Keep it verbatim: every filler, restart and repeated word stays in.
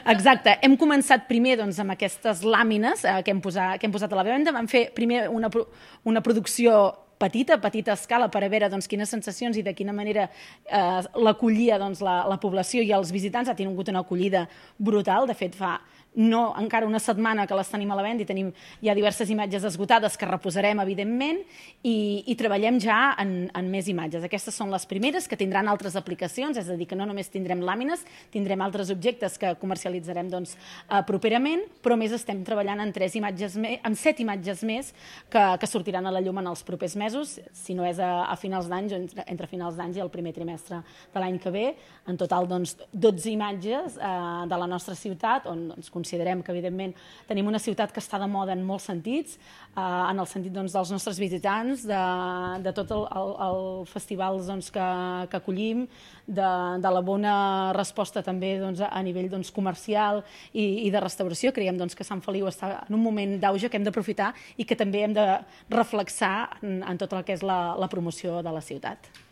Exacte. Hem començat primer doncs, amb aquestes làmines eh, que, hem posat, que hem posat a la venda. Vam fer primer una, una producció petita, petita escala, per a veure doncs, quines sensacions i de quina manera eh, l'acollia doncs, la, la població i els visitants. Ha tingut una acollida brutal. De fet, fa no encara una setmana que les tenim a la venda i tenim ja diverses imatges esgotades que reposarem, evidentment, i, i treballem ja en, en més imatges. Aquestes són les primeres, que tindran altres aplicacions, és a dir, que no només tindrem làmines, tindrem altres objectes que comercialitzarem doncs, eh, properament, però més estem treballant en, tres imatges més, en set imatges més que, que sortiran a la llum en els propers mesos, si no és a, a finals d'any, entre, entre finals d'any i el primer trimestre de l'any que ve. En total, doncs, dotze imatges eh, de la nostra ciutat, on doncs, considerem que, evidentment, tenim una ciutat que està de moda en molts sentits, eh, en el sentit doncs, dels nostres visitants, de, de tot el, el, el festivals doncs, que, que acollim, de, de la bona resposta també doncs, a nivell doncs, comercial i, i de restauració. Creiem doncs, que Sant Feliu està en un moment d'auge que hem d'aprofitar i que també hem de reflexar en, en tot el que és la, la promoció de la ciutat.